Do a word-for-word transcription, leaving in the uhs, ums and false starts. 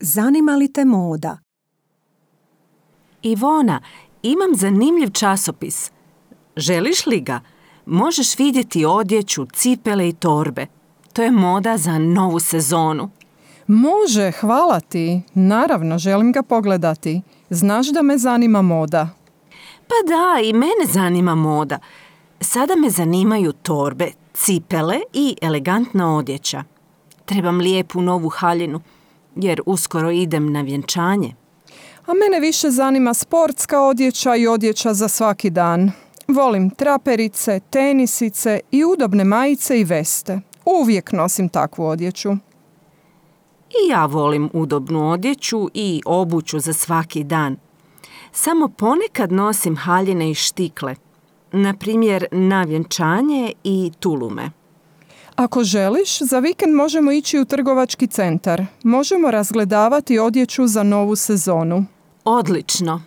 Zanima li te moda? Ivona, imam zanimljiv časopis. Želiš li ga? Možeš vidjeti odjeću, cipele i torbe. To je moda za novu sezonu. Može, hvala ti. Naravno, želim ga pogledati. Znaš da me zanima moda. Pa da, i mene zanima moda. Sada me zanimaju torbe, cipele i elegantna odjeća. Trebam lijepu novu haljinu, jer uskoro idem na vjenčanje. A mene više zanima sportska odjeća i odjeća za svaki dan. Volim traperice, tenisice i udobne majice i veste. Uvijek nosim takvu odjeću. I ja volim udobnu odjeću i obuću za svaki dan. Samo ponekad nosim haljine i štikle. Na primjer, na vjenčanje i tulume. Ako želiš, za vikend možemo ići u trgovački centar. Možemo razgledavati odjeću za novu sezonu. Odlično!